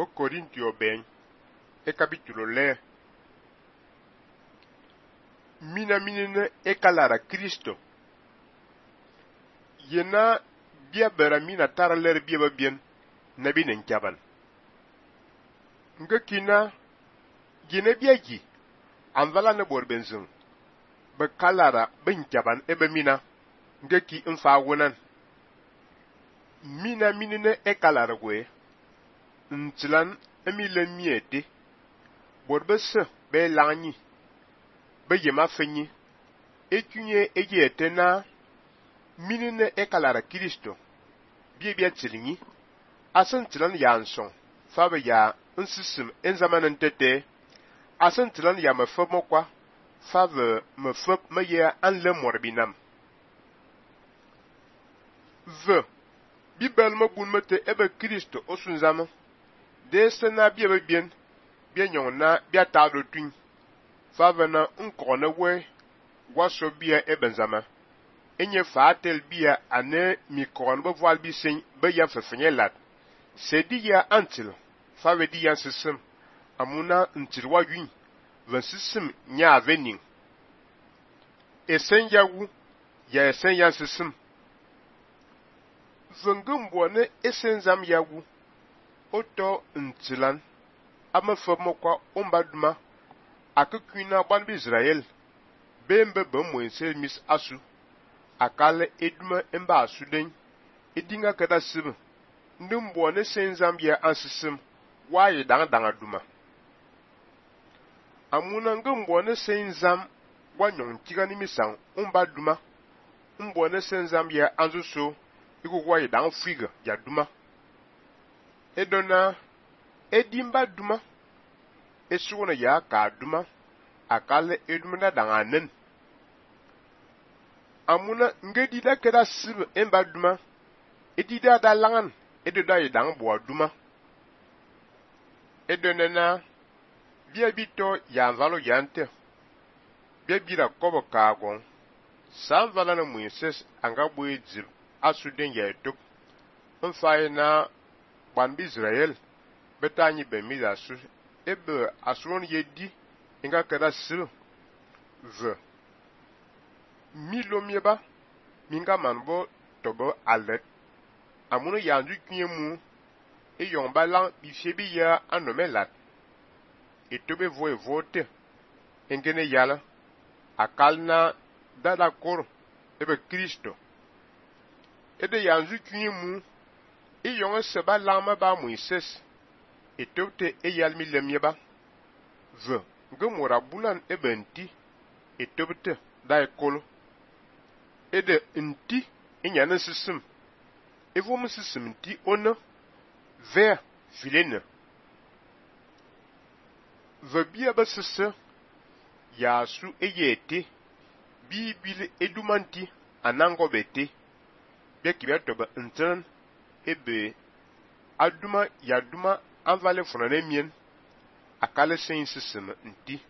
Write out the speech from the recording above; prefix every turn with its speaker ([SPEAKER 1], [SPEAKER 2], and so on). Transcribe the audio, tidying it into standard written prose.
[SPEAKER 1] O Corintio ben, e capítulo le. Mina minine e calara Cristo. Yena bia bera mina tara ler bia babien, na binen kaban. Nga kina, yene bia gi, anvala ne bor benzung. Be kalara ben kaban ebe mina, nga ki mfa wunan. Mina minine e kalara gwe, ntilan emile miete, bor bese be lanyi, be yema fenyi, ekunye ege na minine e kalara Kristo, bia tilingi, asen tilan ya anson, fabe ya nsisim enzamanen tete, asen tilan ya mefop mokwa, fabe mefop me ye anle morbinam. Bibel mabun mete ebe Kristo osunzama, de sena bia bien, bia nyon na bia tablo twin, fabe na nkone we, waso bia ebenzama. Enye fatel bia ane mikron be voile bi sen be ya fefenye lat. Se di ya antil, fabe di ya sisim, amuna ntilwa yun, ven sisim nya avening. Esen ya wu, ya esen ya sisim. Vengumboane esen zam ya wu, oto ntilan, ama fomokwa ombaduma, akukuna banbi Israel, bembe mwense mis asu. Akale eduma emba asuden, edinga kada sibe, ndumbo ne senzambia ansisim, waye danga duma. Amuna ngumbo ne senzam, wanyon tigani misang, umba duma, umbo ne senzambia anzuso, iku waye danga friga, ya duma. Edona, edimba duma, esuna ya ka duma, akale eduma na danga nen. Amuna ngedida keda sibe emba duma, edida da langan, edida yedang boa duma. Edonena, bia bito ya valo yante, bia bira kobo kagon, san vala na Moises anga boe zil, asuden ya etok, mfaye na banbi Israel, betanyi bemi asu, ebe asuron yedi, inga keda sibe, Milo mieba, minga manbo tobo alet. Amuno yandu kunye mu, e yongba lang bifyebi ya anome lat. E tobe voe vote, engene yala, akal na dada kor, ebe Kristo. Ede yandu kunye mu, e yonge seba langma ba Moises, e tobte e yalmi lemieba. Ngemora bulan ebe nti, e tobte da ekolo. Ede nti inyane sisim. Evom sisim nti ona ver filene. Bia ba sisse ya su eyete bibile edumanti anango bete. Bia kibia toba ntran ebe aduma ya duma anvale fonane mien akale sen sisim nti.